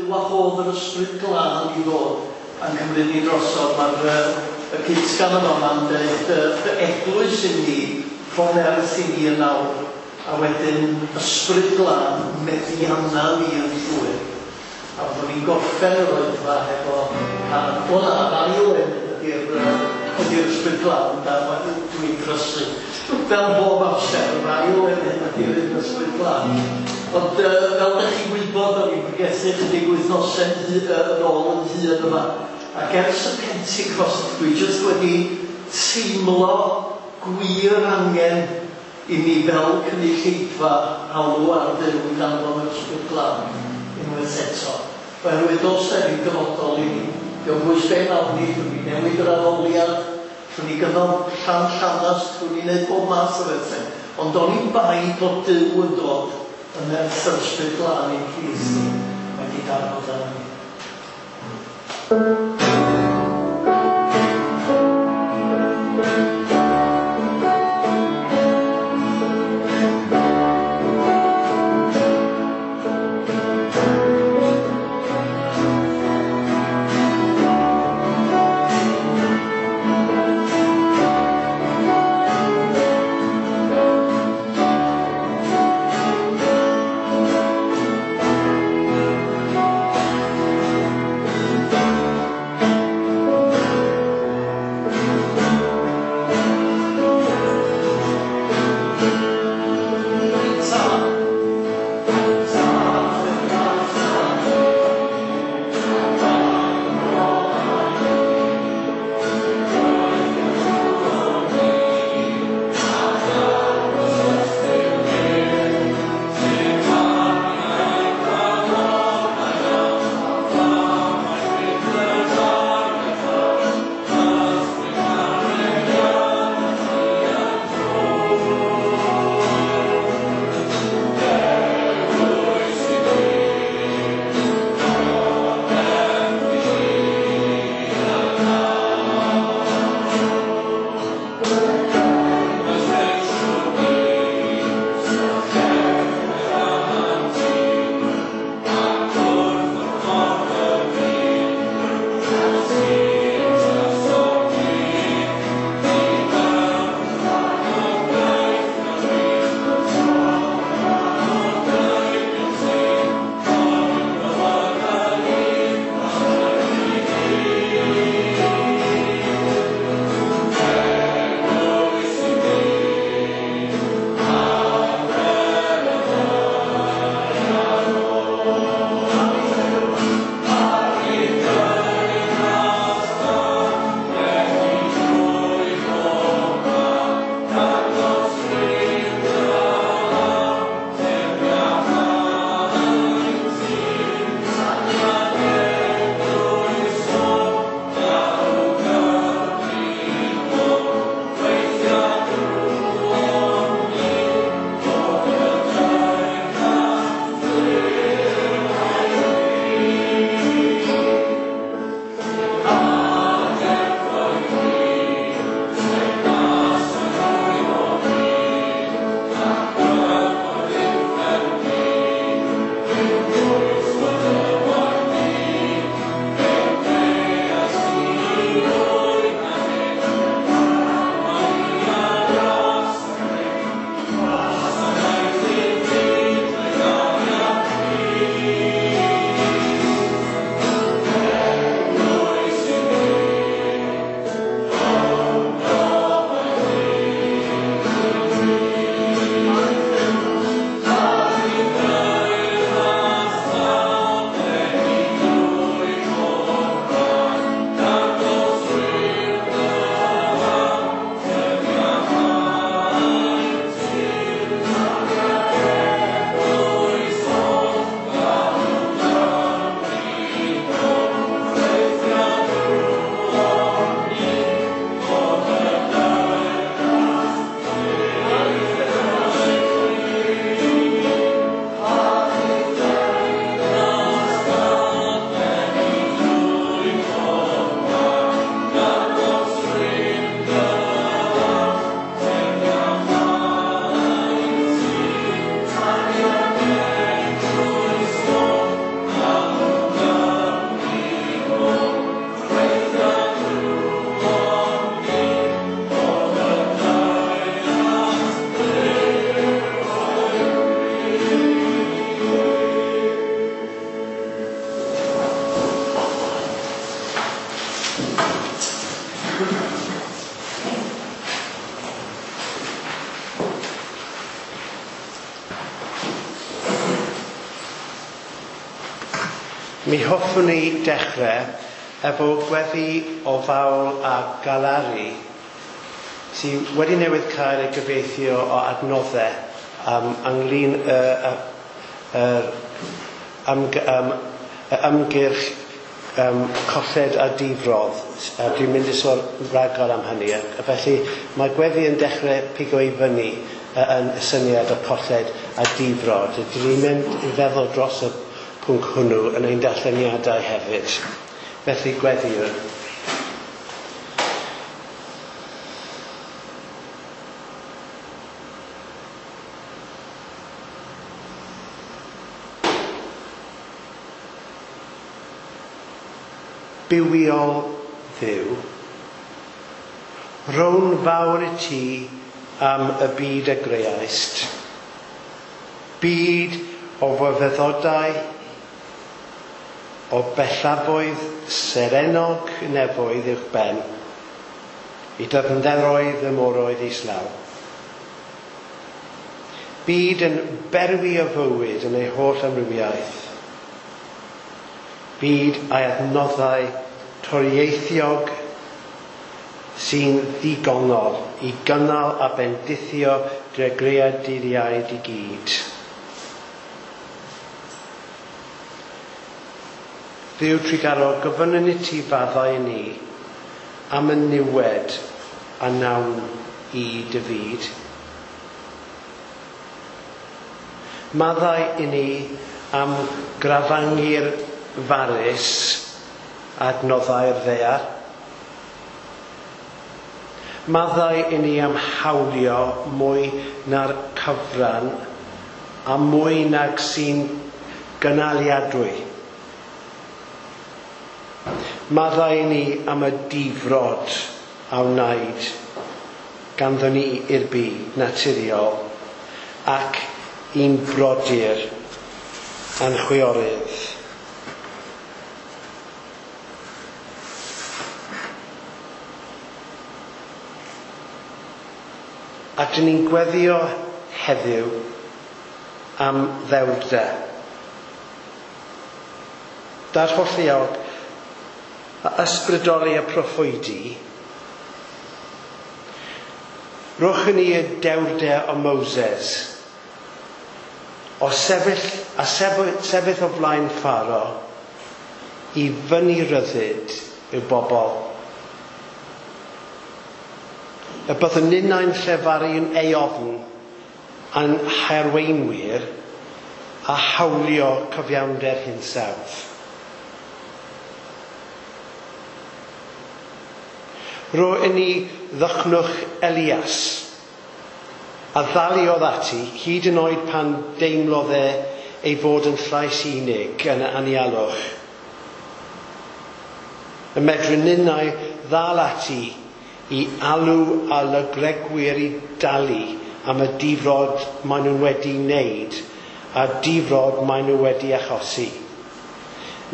Wahodd yr Ysbryd Glân i ddod a'n cymryd ni drosodd. Mae'r y cytgan yma ma'n dweud dy eglwys i ni, rho nerth i ni yn awr, a wedyn Ysbryd Glân meddianna ni yn llwyr. A byddwn ni'n gorffen yr oedfa hefo cân. O na, yr ail emyn ydy'r Ysbryd Glân, da, dwi'n drysu. Fel bob amser, yr ail emyn ydy'r un Ysbryd Glân. Ond fel ydych chi'n gwybod, o'n i'n pregethu chydig wythnosau yn ôl yn hun yma. Ac ers y Pentecost, dwi jyst wedi teimlo gwir angen i mi fel cynulleidfa alw ar Dduw i danfon yr Ysbryd Glân unwaith eto. Oherwydd does 'na ddim dyfodol i ni. Dio'm bwys be wnawn ni, allwn ni newid yr addoliad, allwn ni gynnal llan llanast, allwn ni wneud bob math o bethau. Ond oni bai bod Duw yn dod yn nerth yr Ysbryd Glân i'n plith ni, mae 'di darfod arnon ni. Mi hoffwn i dechrau efo gweddi o fawl a galaru sydd wedi newydd cael ei gyfieithu o adnoddau ynglyn ymgyrch colled a difrodd. Dwi'n mynd i sôn rhagor am hynny. Felly mae gweddi yn dechrau pigo i fyny yn y syniad o colled a difrod. Dyn ni'n mynd i feddwl dros y pwnc hwnnw yn ein darlleniadau hefyd. Felly gweddiwn. Bywiol Dduw, rown fawr i ti am y byd a greaist. Byd o fyfyrdodau, o bellafoedd serennog nefoedd uwch ben, i dyfnderoedd y moroedd islaw. Byd yn berwi o fywyd yn ei holl amrywiaeth. Byd a'i adnoddau torieithiog sy'n ddigonol i gynnal a bendithio dregreaduriaid i gyd. Dduw trugarog, gofynnwn i ti faddau i ni am y niwed a nawn i dy fyd. Maddau i ni am grafangu'r farus adnoddau'r ddaear. Maddau i ni am hawlio mwy na'r cyfran a mwy nag sy'n gynaliadwy. Maddau i ni am y difrod a wnaed ganddo ni i'r byd naturiol ac i'n brodyr a'n chwiorydd. A dyn ni'n gweddio heddiw am ddewrder. Dad holliog a ysbrydoli y proffwydi, rhowch i ni y dewrder o Moses, o sefyll, a sefyll o flaen Pharaoh i fyny ryddid i'w bobl. Y byddwn ninnau'n llefaru'n eofn a'n harweinwyr a hawlio cyfiawnder hinsawdd. Ro i ni ddychnwch Elias, a ddaliodd ati hyd yn oed pan deimlodd e ei fod yn llais unig yn y anialwch. Y medru ninnau ddal ati i alw a lygregwyr i dalu am y difrod maen nhw'n wedi wneud a difrod maen nhw wedi achosi.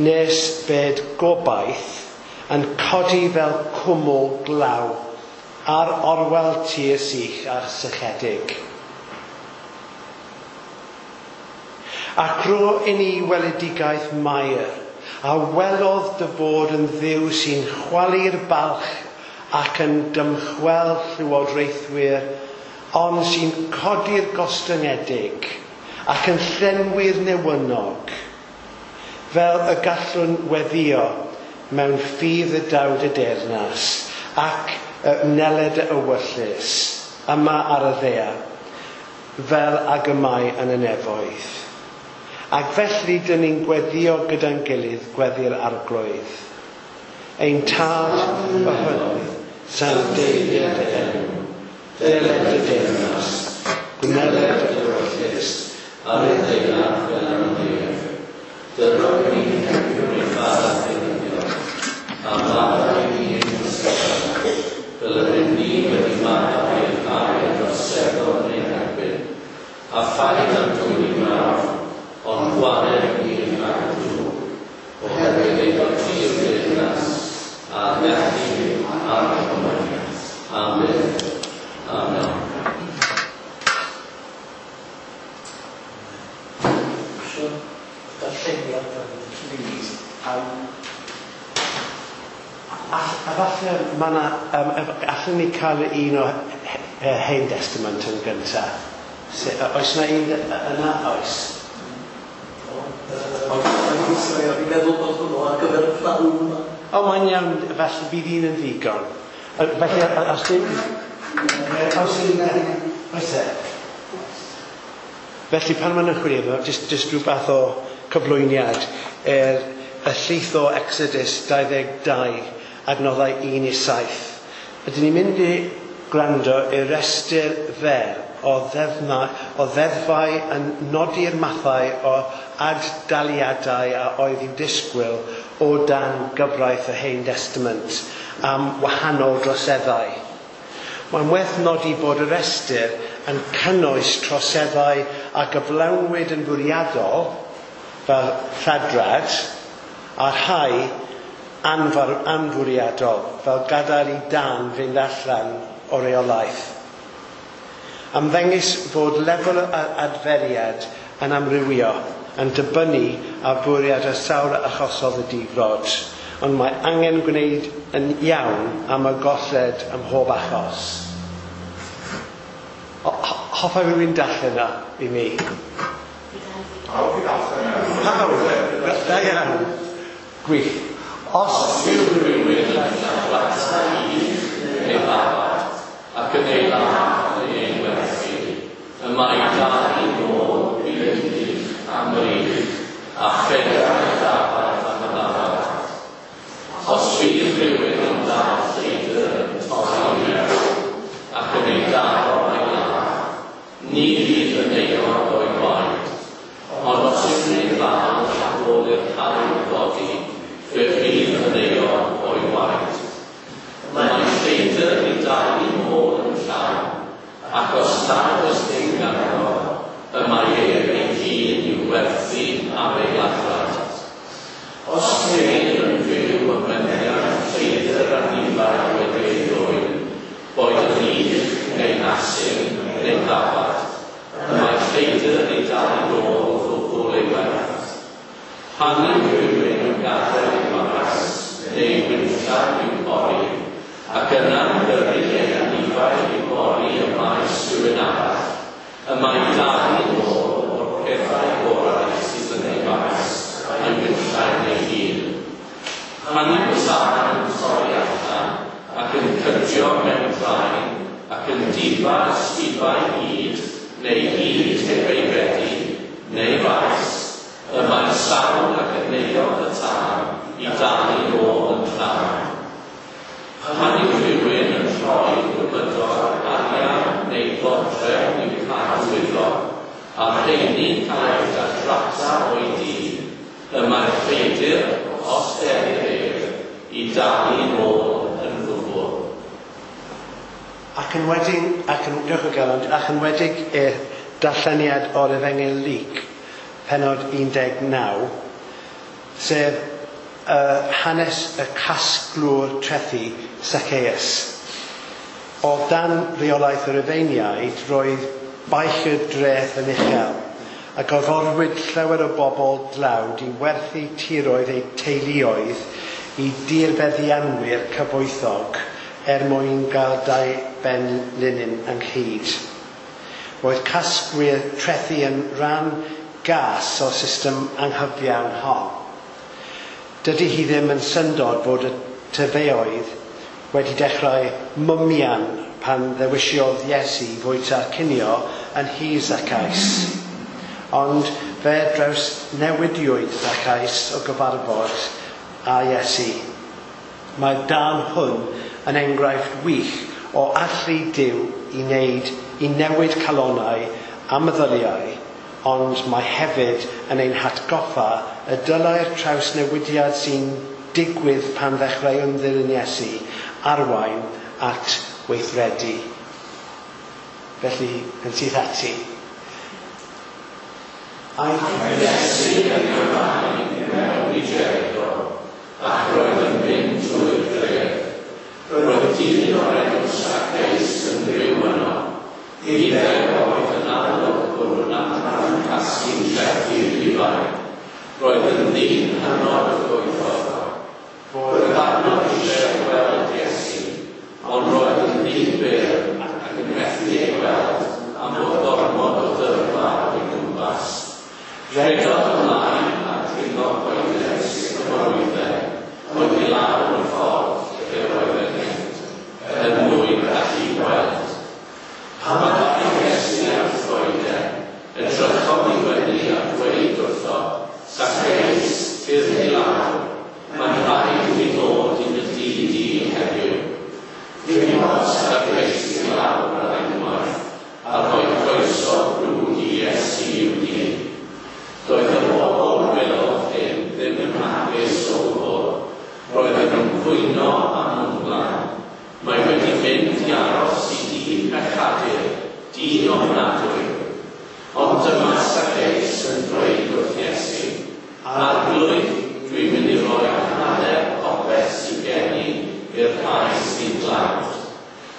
Nes bed gobaith yn codi fel cwmwl glaw ar orwel tir sych a sychedig. Ac ro i ni weledigaeth Mair, a welodd dy fod yn Dduw sy'n chwalu'r balch ac yn dymchwel llywodraethwyr, ond sy'n codi'r gostyngedig ac yn llenwi'r newynog, fel y gallwn weddio mewn ffydd y dawd y deyrnas ac y wneled y ewyllys yma ar y ddaear, fel ag y mae yn y nefoedd. Ac felly dyn ni'n gweddio gyda'n gilydd gweddi'r Arglwydd. Ein Tad y hynoedd, sancteiddied dy enw, deled dy deyrnas, gwneled dy ewyllys, ar y ddaear fel yn y nef. Dyro ni heddiw ein bara beunyddiol, a maddau i ni ein troseddau, fel yr ydym ni wedi maddau i'r rhai a droseddodd yn ein herbyn, a phaid â'n dwyn i mawr, ond gwared ni rhag y drwg, oherwydd ei fod ti yw'r deyrnas, a'r gallu a'r cyfoeth. A falle mae yna, allwn ni cael un o Hen Testament yn gyntaf. Oes yna un yna? Oes. Fi'n meddwl bod hwnnw ar gyfer y pnawn yma. O, mae'n iawn, felly bydd un yn ddigon. Felly, os dim... Oes un... Oes e? Felly, pan maen nhw'n chwilio, jyst rhywbeth o cyflwyniad y llith o Exodus 22, adnoddau 1-7. Ydyn ni'n mynd i gwrando i'r restr fer o ddeddfau yn nodi'r mathau o ad-daliadau a oedd i'w disgwyl o dan gyfraith y Hen Testament am wahanol droseddau. Mae'n werth nodi bod y restr yn cynnwys troseddau a gyflawnwyd yn fwriadol fel lladrad a rhai anfwriadol fel gadael i dân fynd allan o reolaeth. Ymddengys fod lefel y adferiad yn amrywio yn dibynnu ar fwriad y sawl achosodd y difrod, ond mae angen gwneud yn iawn am y golled ym mhob achos. Hoffai rhywun darllen yna i mi? Pawb i darllen yna. Pawb? Da iawn. Gwych. Os yw rhywun yn lladrata ych neu ddafad ac yn ei ladd neu ei werthu, y mae dalu nôl un ych am yr ych a phedair ddafad am y ddafad. Os bydd rhywun yn dal lleidr yn torri mewn ac yn ei daro a'i ladd, ni fydd yn euog o'i waed, ond os yw'n ei ddal ar ôl i'r haul godi, fe fydd yn euog o'i waed. Mae lleidr yn ei dalu nôl yn llawn, ac os nad oes dim ganddo, y mae ef ei hun i'w werthu am ei ladrad. Os ceir yn fyw y meddiant lleidr anifail wedi ei ddwyn, boed yn ych neu asyn neu ddafad, y mae lleidr yn ei dalu nôl ddwbl ei werth. Pan yw rhywun yn gadael ei faes neu winllan i'w pori, ac yna'n gyrru ei anifail i bori y maes rhywun arall, y mae dalu nôl o'r pethau gorau sydd yn ei faes a'i winllan ei hun. Pan yw tân yn torri allan ac yn cydio mewn draen ac yn difa ysgubau hyd neu hyd heb ei fedi neu faes, y mae'r sawl ac yn euog y tân i dalu nôl yn llawn. Pan yw rhywun yn rhoi gymydog arian neu ddodrefn i'w cadw iddo, a'r rheini'n cael eu lladrata o'i dŷ, y mae'r lleidr, os delir ef, i dalu nôl yn ddwbl. Ac yn wedig i'r darlleniad o'r Efengyl Luc, pennod 19, sef hanes y casglwr trethi Zacchaeus. O dan reolaeth y Rufeiniaid, roedd baich y dreth yn uchel, a gorfodwyd llawer o bobl dlawd i werthu tiroedd eu teuluoedd i dirfeddianwyr cyfoethog er mwyn gael dau ben linyn ynghyd. Roedd casglwyr trethi yn rhan gas o'r system anghyfiawn hon. Dydy hi ddim yn syndod fod y tyfeoedd wedi dechrau mwmian pan ddewisiodd Iesu fwyta cinio yn nhŷ Zacchaeus. Ond fe drawsnewidiwyd Zacchaeus o gyfarfod â Iesu. Mae'r darn hwn yn enghraifft wych o allu Duw i newid calonnau a meddyliau, ond mae hefyd yn ein hatgoffa y dylai'r trawsnewidiad sy'n digwydd pan ddechreuwn ddilyn Iesu arwain at weithredu. Felly, yn syth ati. Aeth Iesu yn ei flaen i mewn i Jericho, ac roedd yn mynd trwy'r dref. Roedd dyn o'r enw Zacchaeus yn byw yno. Iddew oedd yn arolygwr yn adran casglu trethi Rhufain. Roedd yn ddyn hynod o gyfoethog. eisiau gweld Iesu, ond roedd yn ddifyr ac yn methu ei weld am fod gormod o dyrfa o'i gwmpas. Rhedodd ymlaen a dringo coeden sycamorwydden oedd i lawr y ffordd lle roedd e'n mynd, er mwyn gallu gweld. Pan ddaeth Iesu at y goeden, edrychodd i fyny a dweud wrtho, Zacchaeus, tyrd i lawr, mae'n rhaid i mi ddod i dy dŷ di heddiw. Dringodd Zacchaeus i lawr ar unwaith, a rhoi croeso brwd i Iesu i'w dŷ. Doedd y bobl welodd hyn ddim yn hapus o gwbl. Roedden nhw'n cwyno a mwnglan. Mae wedi mynd i aros i dŷ pechadur, dyn ofnadwy. Ond dyma Zacchaeus yn dweud wrth Iesu, Arglwydd, dwi'n mynd i roi hanner popeth sydd gen i i'r rhai sy'n dlawd.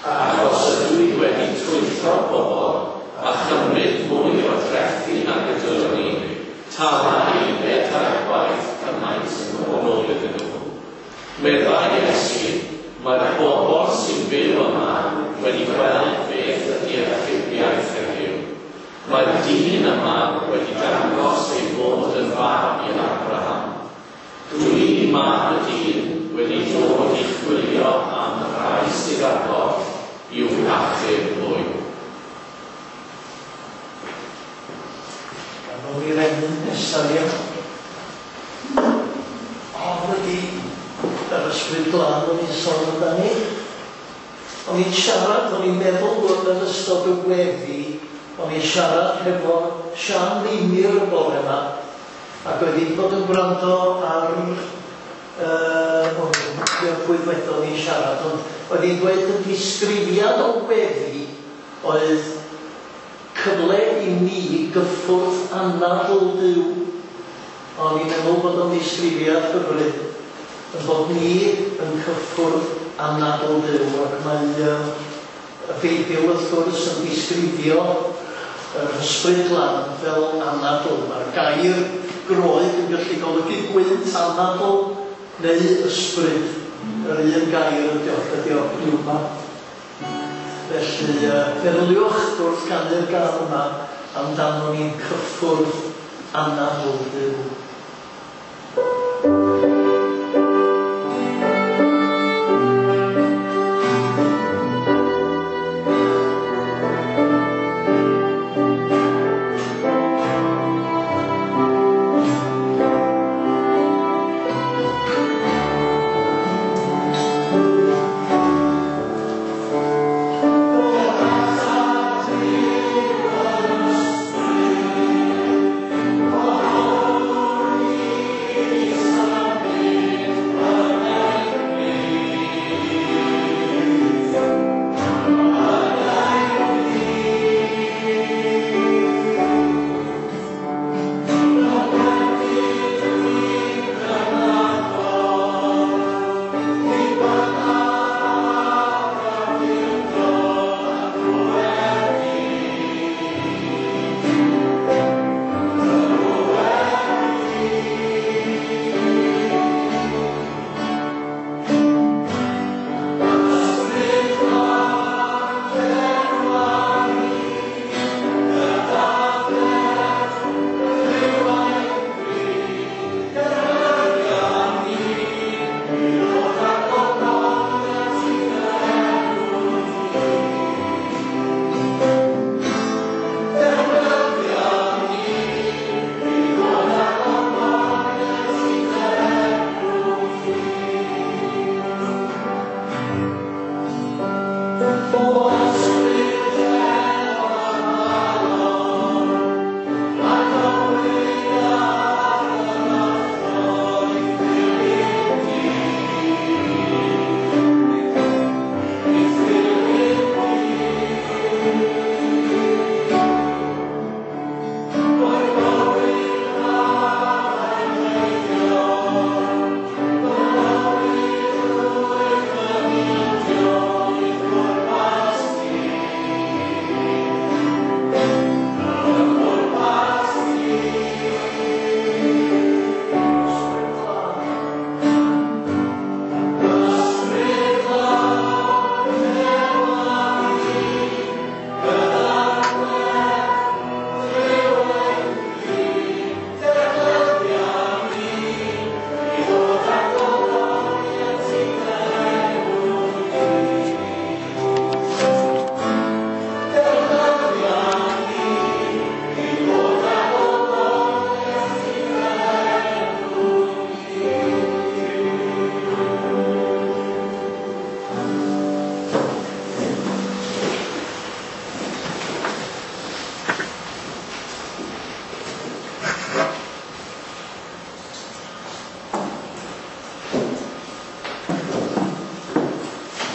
Achos ydw i wedi twyllo pobl a chymryd mwy o drethi nag y dylwn i, tala i bedair gwaith cymaint yn ôl iddyn nhw. Meddai Iesu, mae'r bobl sy'n byw yma wedi gweld beth ydy achubiaeth heddiw. Mae'r dyn yma wedi dangos ei fod yn fab i Abraham. Dwi, mab y dyn, wedi dod i chwilio am y rhai sydd ar goll i'w hachub hwy. Gan i'r emyn nesaf, ie. Hon ydi yr ysbryd glân o'n i'n sôn amdani. O'n i'n siarad, o'n i'n meddwl bod yn ystod y weddi, o'n i'n siarad hefo Sian Meinir y bore yma, ac oedd hi'n bod yn gwrando ar, o'n i'n cofio pwy wedodd hi'n siarad, ond oedd hi'n dweud y disgrifiad o weddi oedd cyfle i ni gyffwrdd anadl Duw. O'n i'n meddwl bod o'n ddisgrifiad hyfryd, yn bod ni yn cyffwrdd anadl Duw, ac mae y Beibl wrth gwrs yn disgrifio yr ysbryd glân fel anadl. Mae'r gair Groeg yn gallu golygu gwynt, anadl neu ysbryd. Yr un gair ydi o, ydi o, pneuma. Felly, meddyliwch wrth ganu'r gân yma amdano ni'n cyffwrdd anadl Duw.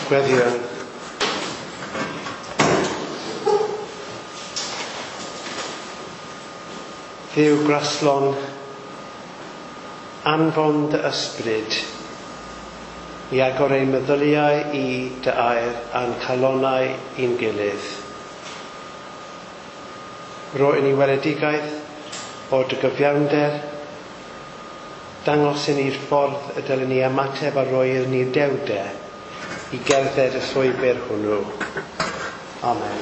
Gweddïwn. Dduw graslon, anfon dy ysbryd i agor ein meddyliau i dy air a'n calonnau i'n gilydd. Rho i ni weledigaeth o dy gyfiawnder, dangos i ni'r ffordd y dylen ni ymateb a roi i ni'r dewrder i gerdded y llwybr hwnnw. Amen.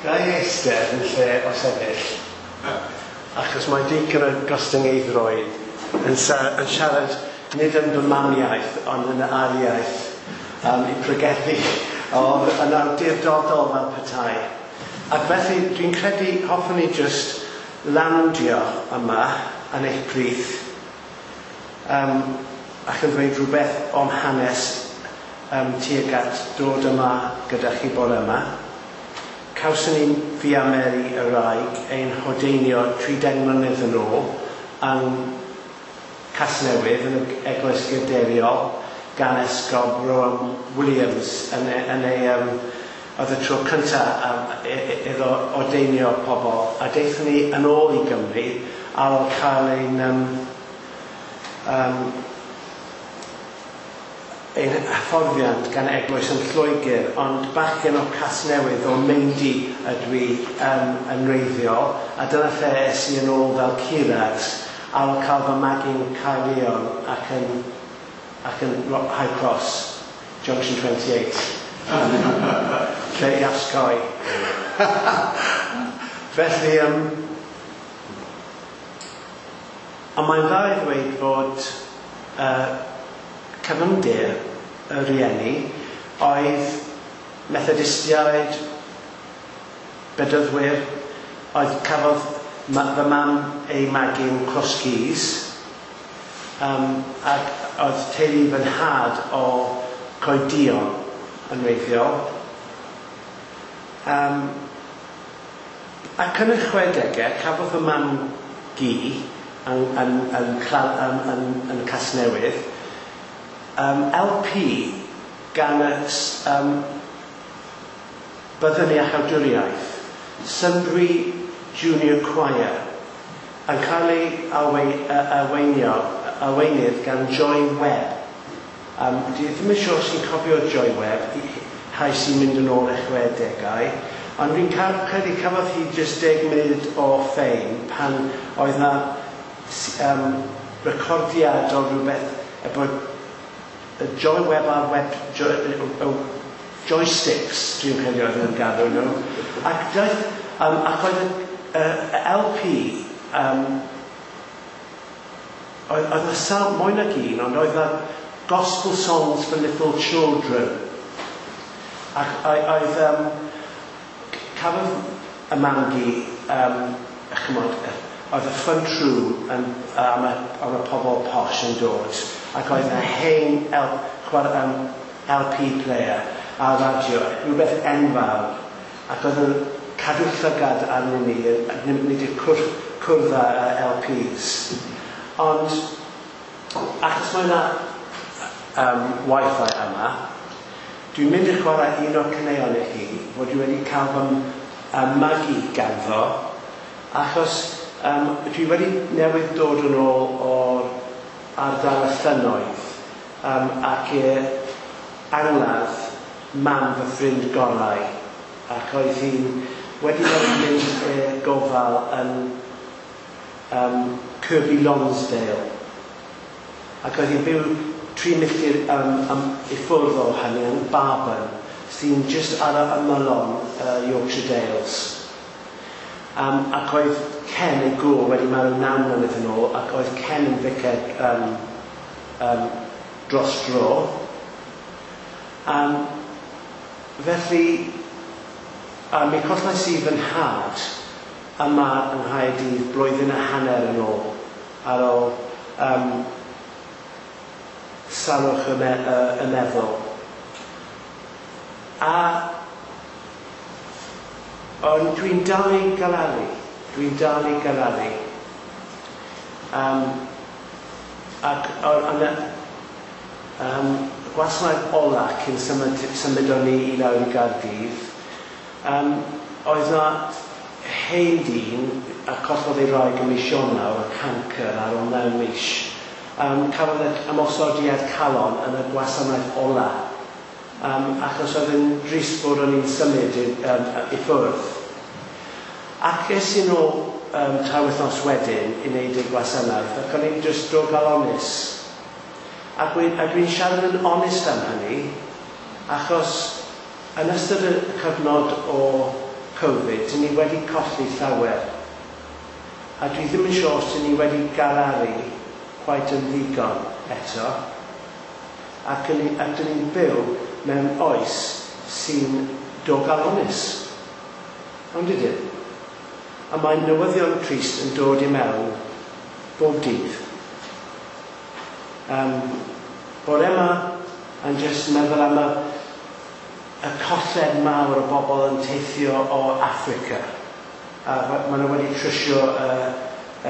Ga i eistedd yn lle o sefyll, achos mae digon o gostyngeiddrwydd yn siarad nid yn fy mamiaith, ond yn y ail iaith i pregethu oedd yn awdurdodol fel petai. Ac felly dwi'n credu hoffwn i jyst landio yma yn eich plith ac yn dweud rhywbeth o'm hanes tuag at dod yma gyda chi bore yma. Cawson ni fi a Mary y wraig ein hodeinio 30 mlynedd yn ôl yng Casnewydd yn y Eglwys Gadeiriol gan Esgob Rowan Williams yn ei oedd y tro cyntaf iddo ordeinio pobl, a daethon ni yn ôl i Gymru ar ôl cael ein ein hyfforddiant gan eglwys yn Lloegr, ond bachgen o Casnewydd o Maendy ydw i yn wreiddiol, a dyna lle es i yn ôl fel curad ar ôl cael fy magu'n Caerllion ac yn High Cross, Junction 28. Lle i osgoi. Felly, ond mae'n dda i ddweud fod cyfyngder y rhieni oedd Methodistiaid, Bedyddwyr, oedd cafodd fy mam ei magu'n Crosskeys, ac oedd teulu fy nhad o Coedion yn wreiddiol. Ac yn y 60au, cafodd fy mam gi yn Casnewydd, LP gan y Byddwn Iachawdwriaeth, Sunbury Junior Choir, yn cael ei arweinydd gan Joy Webb. Dwi ddim yn siŵr os chi'n cofio Joy Webb, rhai sy'n mynd yn ôl i'r 60au, ond fi'n credu cafodd hi jyst 10 munud o ffeim pan oedd na recordiad o rhywbeth efo Joy Webb ar web joysticks, dwi'n credu oedd nhw'n gadw nhw. Ac daeth, ac oedd y LP, oedd yna sawl mwy nag un, ond oedd yna Gospel Songs for Little Children. Ac oedd, cafodd y mam-gu, chymod, oedd y front room am y pobl posh yn dod, ac oedd yna hen LP player a radio, rhywbeth enfawr, ac oedd yn cadw llygad arnyn ni, nid i'r cwrdd â LPs. Ond, achos mae yna Wi-Fi yma, dwi'n mynd i chwarae un o'r caneuon i chi, fod dwi wedi cael fy magu ganddo, achos dwi wedi newydd dod yn ôl o'r ardal y llynnoedd, ac i'r angladd mam fy ffrind gorau, ac oedd hi'n wedi newydd mynd i'r gofal yn Kirby Lonsdale, ac oedd hi'n byw 3 milltir i ffwrdd o hynny yn Barburn, sy'n jyst ar y ymylon Yorkshire Dales. Ac oedd Ken ei gŵr wedi marw 9 mlynedd yn ôl, ac oedd Ken yn ficer dros dro. Felly, mi collais i fy nhad yma yng Nghaerdydd blwyddyn a hanner yn ôl, ar ôl salwch y meddwl. A ond dwi'n dal i galaru. Dwi'n dal i galaru. Ac yn y gwasanaeth ola cyn symud o'n ni i lawr i Gaerdydd, oedd na hen dyn a collodd ei wraig ym mis Ionawr y cancr ar ôl 9 mis. Cafodd e ymosodiad calon yn y gwasanaeth ola, achos oedd yn drist bod o'n i'n symud i ffwrdd. Ac es i nôl 3 wythnos wedyn i wneud y gwasanaeth, ac o'n i'n just dorcalonnus. Ac dwi'n siarad yn onest am hynny, achos yn ystod y cyfnod o Covid, dyn ni wedi colli llawer. A dwi ddim yn siŵr os dyn ni wedi galaru quite yn ddigon eto. Ac dyn ni'n byw mewn oes sy'n dorcalonnus. Ond ydyn? A mae newyddion trist yn dod i mewn bob dydd. Bore yma yn jyst meddwl am y colled mawr o bobl yn teithio o Affrica. A maen nhw wedi trwsio y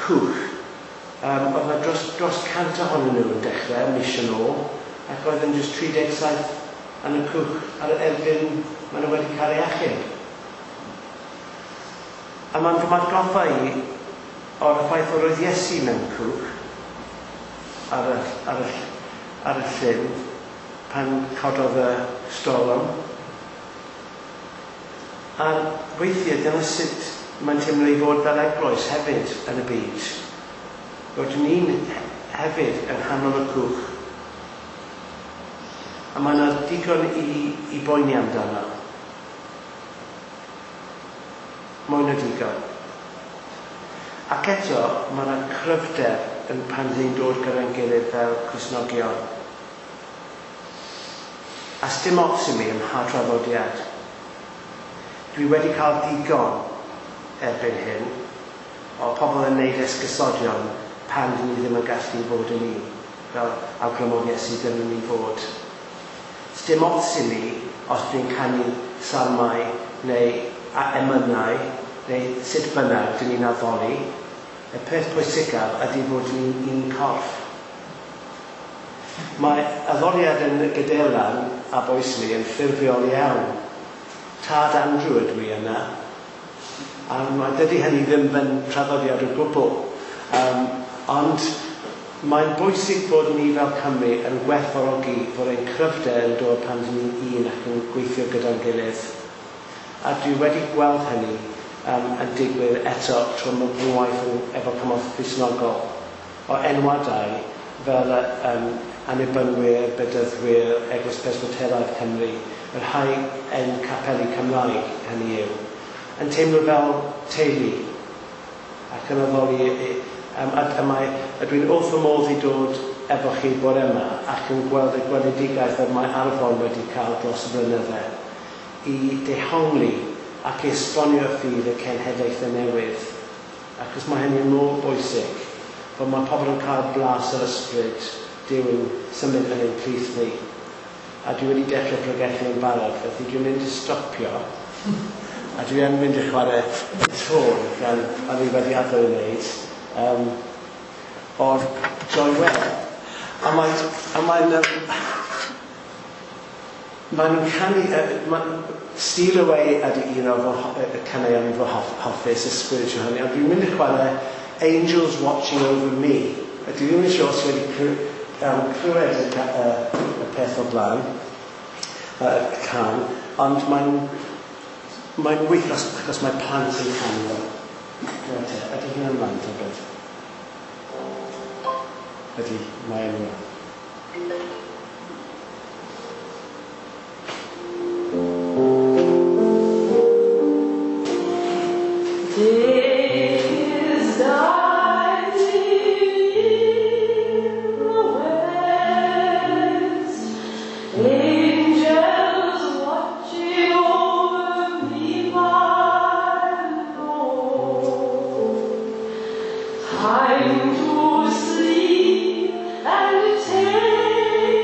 cwch. Oedd yna dros 100 ohonyn nhw yn dechrau mis yn ôl, ac oedd yn jyst 37 yn y cwch ar erbyn maen nhw wedi cael ei achub. A mae'n fy atgoffa i o'r ffaith o roedd Iesu mewn cwch ar y llyn pan cododd y storm. A weithiau dyna sut mae'n teimlo i fod fel eglwys hefyd yn y byd. Bod ni'n hefyd yn nghanol y cwch. A mae yna digon i boeni amdano. Mwy na digon. Ac eto, mae yna cryfder yn pan ni'n dod gyda'n gilydd fel Cristnogion. A sdim ots i mi ym mha traddodiad. Dwi wedi cael digon erbyn hyn o pobl yn neud esgusodion pan dyn ni ddim yn gallu fod yn ni, fel awgrymodd Iesu dylwn ni fod. Sdim ots i mi os dwi'n canu salmau neu emynau neu sut bynnag dyn ni'n addoli. Y peth pwysicaf ydy fod ni'n un corff. Mae addoliad yn Gadeirlan a Boesley yn ffurfiol iawn. Tad Andrew ydw i yna. A dydy hynny ddim yn traddodiad o gwbl. Ond mae'n bwysig bod ni fel Cymru yn gwerthfawrogi fod ein cryfder yn dod pan dyn ni'n un ac yn gweithio gyda'n gilydd. A dwi wedi gweld hynny yn digwydd eto trwy fy ngwaith efo Cymorth Cristnogol o enwadau fel Annibynwyr, Bedyddwyr, Eglwys Presbyteraidd Cymru, y rhai yn capeli Cymraeg, hynny yw, yn teimlo fel teulu ac yn addoli. A dwi'n wrth fy modd i dod efo chi bore yma ac yn gweld y gweledigaeth y mae Arfon wedi cael dros y blynydde i dehongli ac i esbonio ffydd y cenhedlaethau newydd. Achos mae hynny'n mor bwysig, bod mae pobl yn cael blas yr ysbryd Duw yn symud yn ein plith ni. A dwi wedi dechrau pregethu yn barod, felly dwi'n mynd i stopio. A dwi yn mynd i chwarae tôn fel o'n i wedi addo i wneud, o'r Joy Webb. A mae'n nhw'n canu, Steal Away ydy un o'r caneuon fy hoffus, y spiritual hynny, ond dwi'n mynd i chwarae Angels Watching Over Me. A dwi ddim yn siŵr os wedi clywed y peth o blaen, y can, ond mae'n wych achos mae plant yn canu fo. Reit, ydy hyn ymlaen tybed? Ydy, mae'n ymlaen. Days dying in the west, angels watching over me, my Lord. Time to sleep and take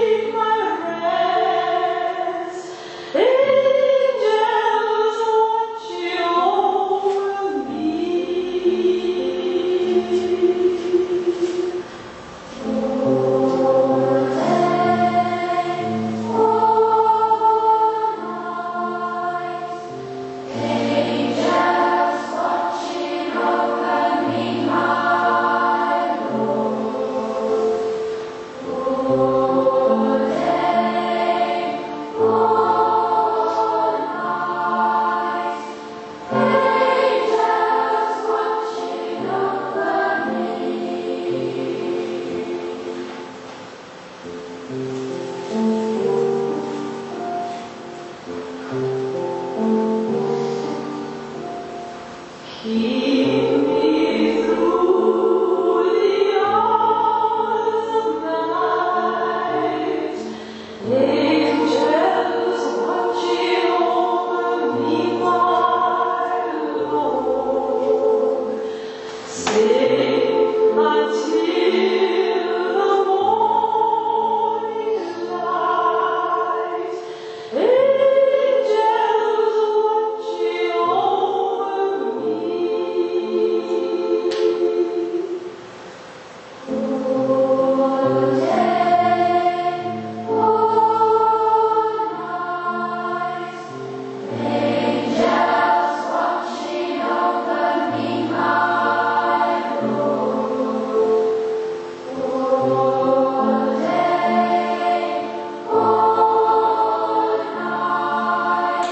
Keep me through the hours of night, angels watching over me, my Lord. Safe until the morning light, angels watching over me. All day, all night, angels watching over me, my Lord. All day, all night,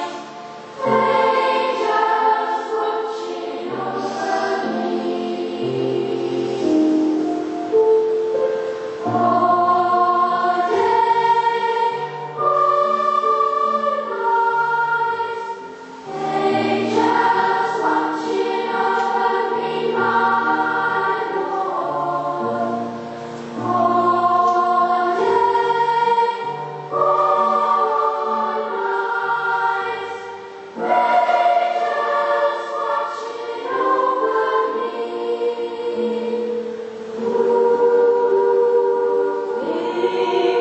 angels watching over me. All day, all night, angels watching over me, my Lord. All day, all night, angels watching over me.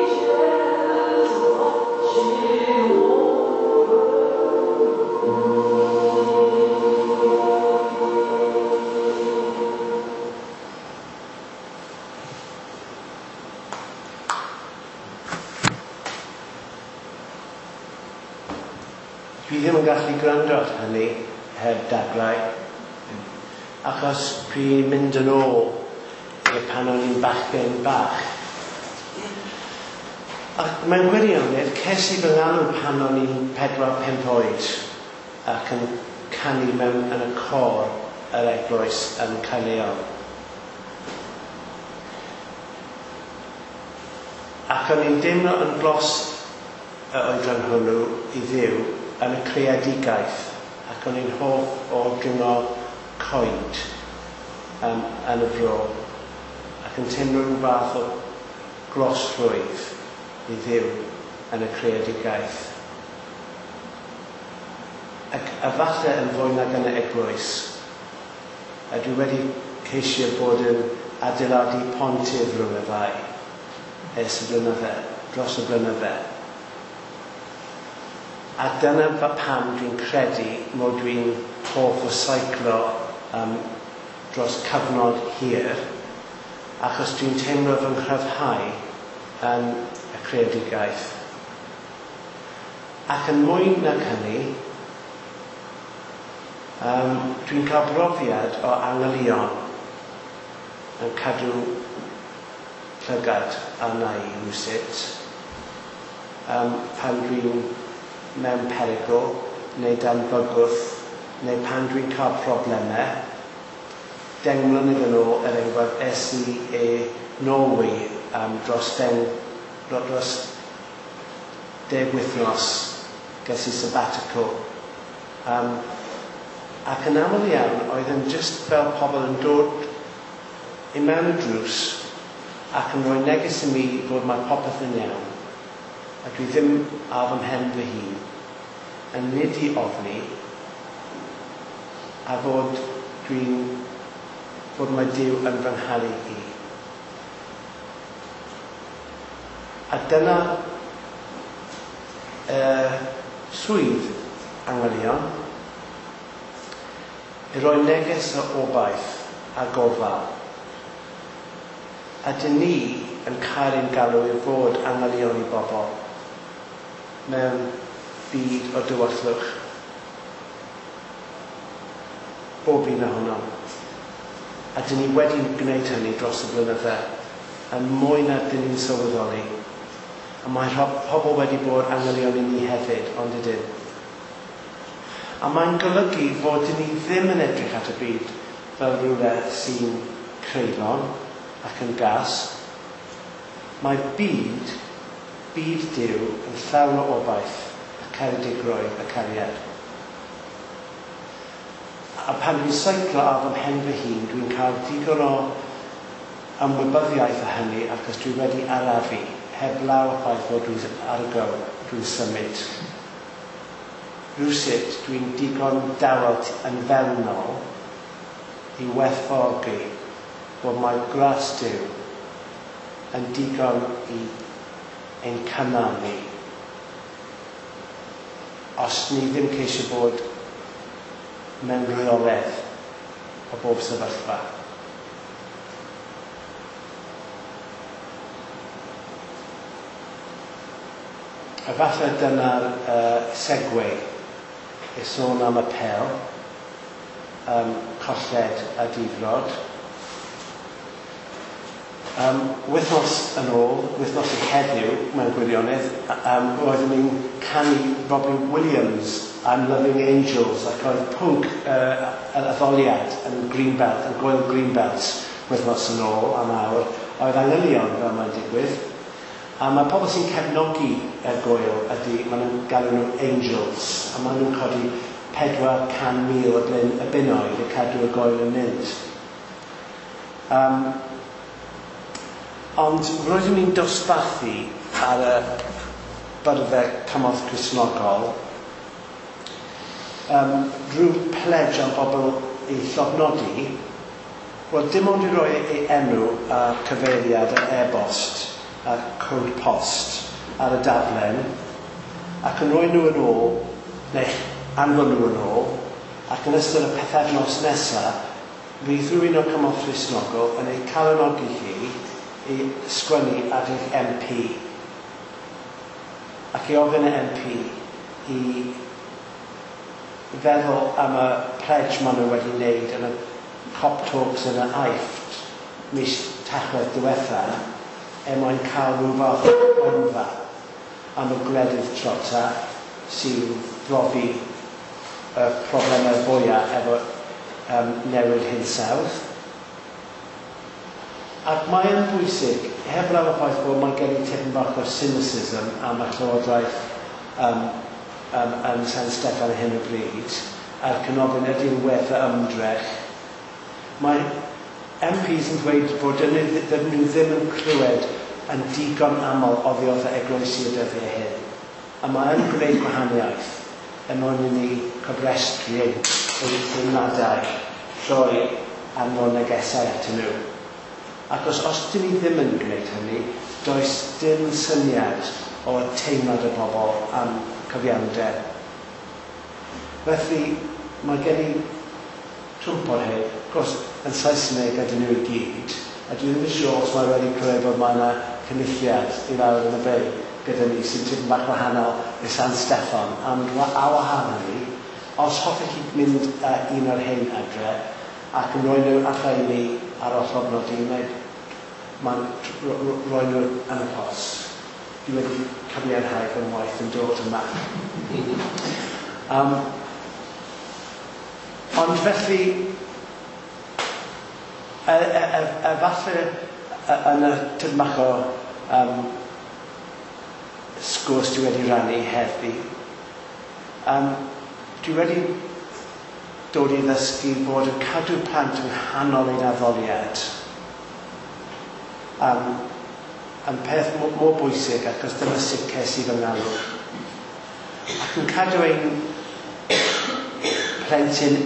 Angels watching over Dwi ddim yn gallu gwrando ar hynny heb daglau, achos dwi'n mynd yn ôl i pan o'n i'n bachgen bach. Ac mewn gwirionedd, ces i fy ngalw pan o'n i'n 4-5 oed ac yn canu mewn yn y côr yr eglwys yn Caerleon. Ac o'n i'n deimlo yn glos y oedran hwnnw i Dduw yn y creadigaeth, ac o'n i'n hoff o dringo coed yn y fro, ac yn teimlo rhyw fath o glosrwydd i Dduw yn y creadigaeth. Ac efallai yn fwy nag yn y eglwys, a dwi wedi ceisio bod yn adeiladu pontydd rhwng y ddau ers y blynydde, dros y blynydde. A dyna pam dwi'n credu mod dwi'n hoff o seiclo dros cyfnod hir, achos dwi'n teimlo fy nghryfhau yn y creadigaeth. Ac yn mwy nag hynny, dwi'n cael brofiad o angylion yn cadw llygad arna i rywsut, pan dwi'n mewn perygl, neu dan bygwth, neu pan dwi'n cael problemau. 10 mlynedd yn ôl, er enghraifft, es i i Norwy dros 10 wythnos, ges i sabbatical. Ac yn aml iawn, oedd yn just fel pobl yn dod i mewn y drws ac yn rhoi neges i mi fod mae popeth yn iawn. A dwi ddim ar fy mhen fy hun, yn nid i ofni, a fod fod mae Duw yn fy ngharu i. A dyna swydd angylion, i roi neges o obaith a gofal. A dyn ni yn cael ein galw i fod angylion i bobl mewn byd o dywyllwch. Bob un ohonom. A dyn ni wedi gwneud hynny dros y blynydde, yn mwy na dyn ni'n sylweddoli. A mae pobl wedi bod angylion i ni hefyd, ond ydyn. A mae'n golygu fod dyn ni ddim yn edrych at y byd fel rhywle sy'n creulon ac yn gas. Mae byd Duw yn llawn o obaith, y caredigrwydd, y cariad. A pan dwi'n seiclo ar fy mhen fy hun, dwi'n cael digon o ymwybyddiaeth o hynny achos dwi wedi arafu, heblaw y ffaith fod dwi ar y go, dwi'n symud. Rywsut, dwi'n digon dawel yn fewnol i werthfawrogi bod mae gras Duw yn digon i ein cynnal ni. Os ni ddim ceisio bod mewn rheolaeth o bob sefyllfa. Efallai dyna'r segue i sôn am apêl, colled a difrod. Wythnos yn ôl, wythnos i heddiw mewn gwirionedd, roeddwn i'n canu Robbie Williams, I'm Loving Angels, ac oedd pwnc yr addoliad yn Greenbelt, yn Gŵyl Greenbelt, wythnos yn ôl am awr, oedd angylion, fel mae'n digwydd. A mae pobl sy'n cefnogi y gŵyl ydy, maen nhw'n galw nhw angels, a maen nhw'n codi 400,000 o blyn y bunnoedd i cadw y gŵyl yn mynd. Ond roeddwn i'n dosbarthu ar y byrddau cymorth Cristnogol rhyw pledge am bobl i llofnodi, wel dim ond i roi ei enw a cyfeiriad a e-bost a cod post ar y daflen ac yn rhoi nhw yn ôl, neu anfon nhw yn ôl, ac yn ystod y pythefnos nesaf, fydd rhywun o'r cymorth Cristnogol yn ei calonogi chi i sgwennu at eich MP ac i ofyn y MP i feddwl am y pledge maen nhw wedi wneud yn y COP talks yn y Aifft mis Tachwedd diwetha er mwyn cael rhyw fath o gronfa am y gwledydd tlota sy'n profi y problemau fwyaf efo newid hinsawdd. Ac mae yn bwysig, heblaw y ffaith bod mae gen i tipyn bach o cynicism am y llywodraeth yn San Steffan ar hyn o bryd, a'r cynofyn ydy'n werth y ymdrech. Mae MPs yn dweud bod dyn nhw ddim yn clywed yn digon aml oddi wrth y eglwysi y dyddiau hyn. A mae yn gwneud gwahaniaeth er mwyn i ni cofrestru ein teimladau trwy anfon negesau atyn nhw. Ac os dyn ni ddim yn gwneud hynny, does dim syniad o teimlad y bobl am cyfiawnder. Felly, mae gen i twmp o'r hyn, of course, yn Saesneg ydyn nhw i gyd, a dwi ddim yn siŵr os mae wedi clywed bod mae yna cynulliad i lawr yn y Bay gyda ni sy'n tipyn bach wahanol i San Steffan. Ond a wahan hynny, os hoffech chi mynd un o'r hyn adre ac yn rhoi nhw allan i ni ar ôl llofnodi, neu mae'n rhoi nhw yn y post. Dwi wedi cyfiawnhau fy ngwaith yn dod yma. Ond felly, falle yn y tipyn bach o sgwrs dwi wedi rannu heddi, dwi wedi dod i ddysgu bod yn cadw plant yng nghanol ein addoliad yn peth mor bwysig, achos dyma sut ces i fy ngalw. Ac yn cadw ein plentyn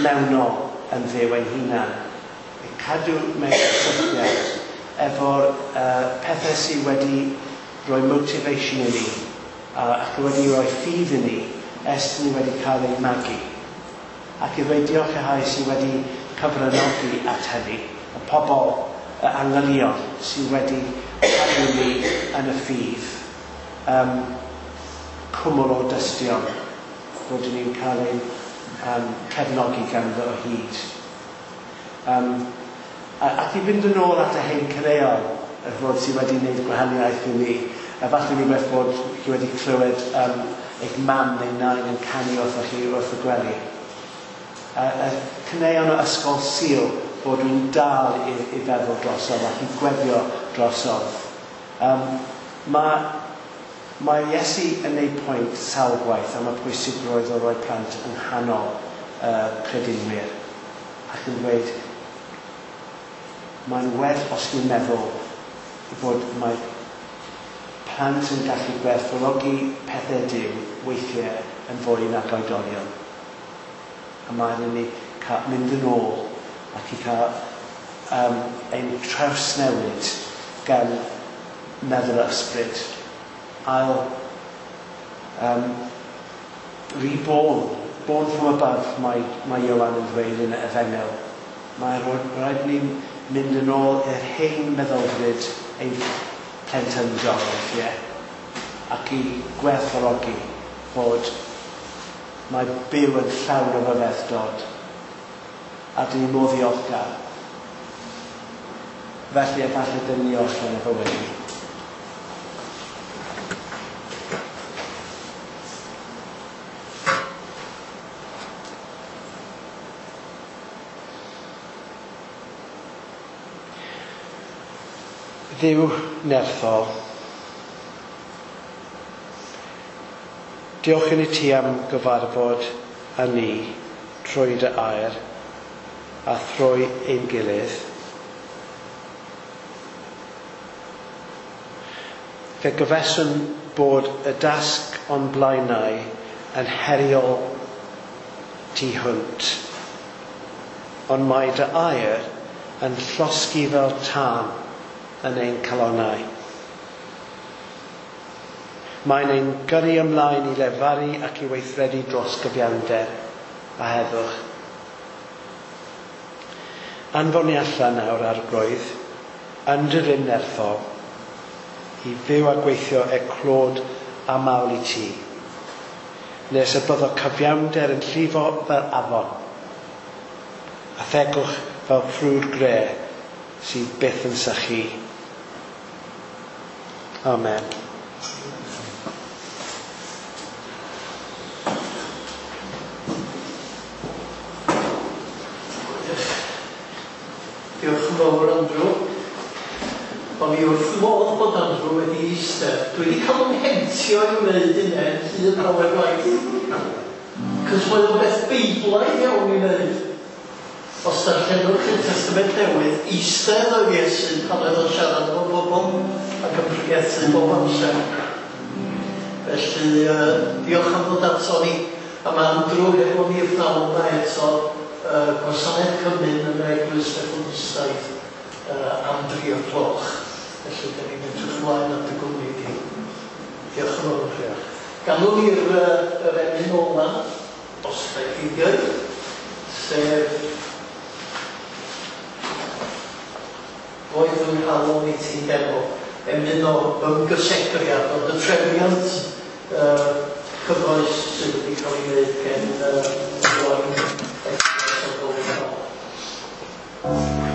mewnol yn fyw ein hunan. Yn cadw mewn cysylltiad efo'r pethau sydd wedi rhoi motivation i ni ac wedi rhoi ffydd i ni ers ni wedi cael ein magu. Ac i ddweud diolch i rhai sydd wedi cyfranogi at hynny, y pobl, y angylion sydd wedi cadw ni yn y ffydd, cwmwl o dystion bod ni'n cael ein cefnogi ganddo o hyd. Ac i fynd yn ôl at y hen caneuon y fod sydd wedi wneud gwahaniaeth i ni, a falle rhywbeth bod chi wedi clywed eich mam neu nain yn canu wrthoch chi wrth y gwely. Y caneuon o Ysgol Sul bod dwi'n dal i feddwl drosodd ac i gweddio drosodd. Mae Mae Iesu yn ei pwynt sawl gwaith am y pwysigrwydd o roi plant yng nghanol y credinwyr ac yn dweud mae'n werth os ni'n meddwl fod mae plant yn gallu gwerthfawrogi pethau Duw weithiau yn fwy nag oedolion. A mae'n i ni cael mynd yn ôl ac i cael ein trawsnewid gan meddwl yr ysbryd. Ail, reborn, born from above, mae Ioan yn dweud yn y Efengyl. Mae rhaid ni mynd yn ôl i'r hen meddylfryd ein plentyndod weithiau ac i gwerthfawrogi fod mae byw yn llawn o ryfeddod a dyn ni mor ddiolchgar. Felly efallai dyn ni orffen efo wedi. Dduw nerthol, diolch i ti am gyfarfod â ni trwy dy air a thrwy ein gilydd. Fe gyfeswn bod y dasg o'n blaenau yn heriol tu hwnt, ond mae dy air yn llosgi fel tân yn ein calonnau. Mae'n ein gyrru ymlaen i lefaru ac i weithredu dros gyfiawnder a heddwch. Anfon ni allan nawr Arglwydd, yn dy rym nerthol, i fyw a gweithio er clod a mawl i ti, nes y byddo cyfiawnder yn llifo fel afon, a thegwch fel ffrwd gre sydd byth yn sychu. Amen. Diolch yn fawr, Andrew. O'n i wrth fy modd bod Andrew wedi eistedd. Dwi wedi cael yn hentio i wneud hynny hyd lawer gwaith. Cos mae o'n beth beiblaidd iawn i wneud. Os darllenwch chi'r Testament Newydd, eistedd oedd Iesu pan oedd o'n siarad efo bobl ac yn pregethu bob amser. Felly, diolch am ddod ato ni. A mae Andrew hefo ni y pnawn yma eto, gwasanaeth cymun yn yr Eglwys Methodistaidd am 3 o'r gloch. Felly, da ni'n edrych ymlaen at y gwmni di. Diolch yn fawr. Galwn ni'r yr emyn ola, os da chi dweud, sef Roedd fy nghalon i ti'n defo, emyn o ymgysegriad, ond y trefniant cyfoes sydd wedi cael ei wneud gen Owain Eglwys o Golyngol. Thank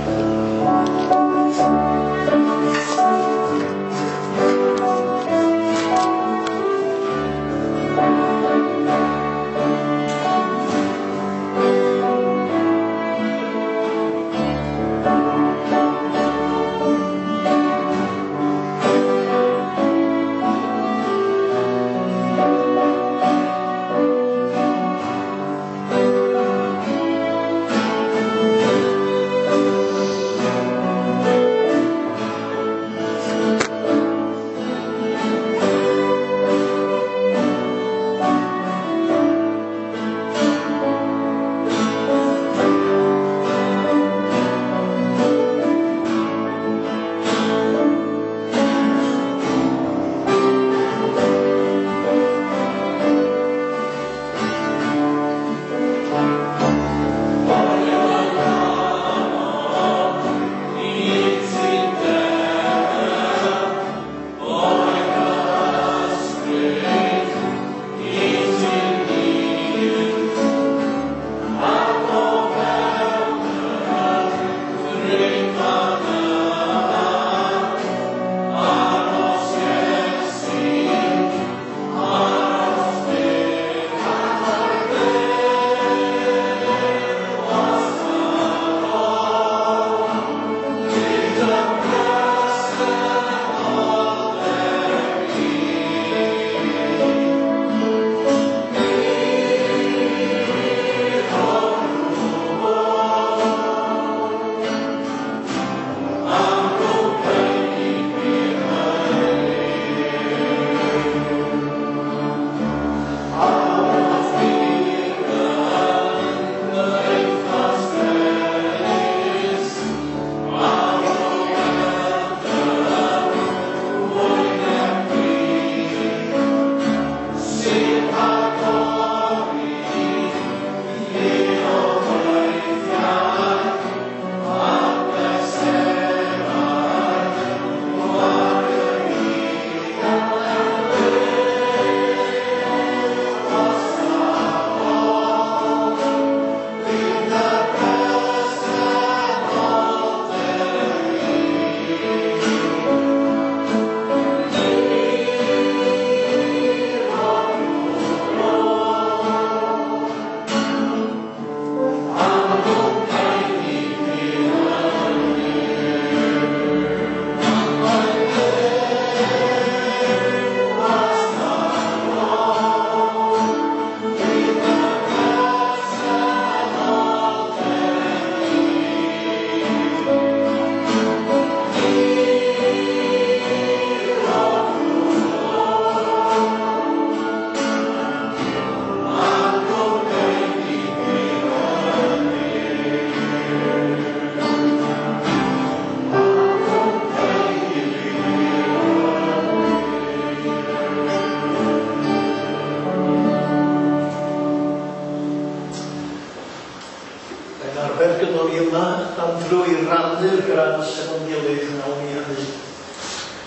bod ni yma, am drwy rannu'r gras efo'n gilydd wnawn ni hynny.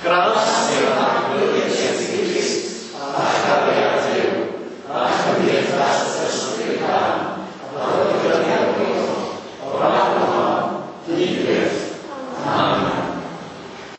Gras.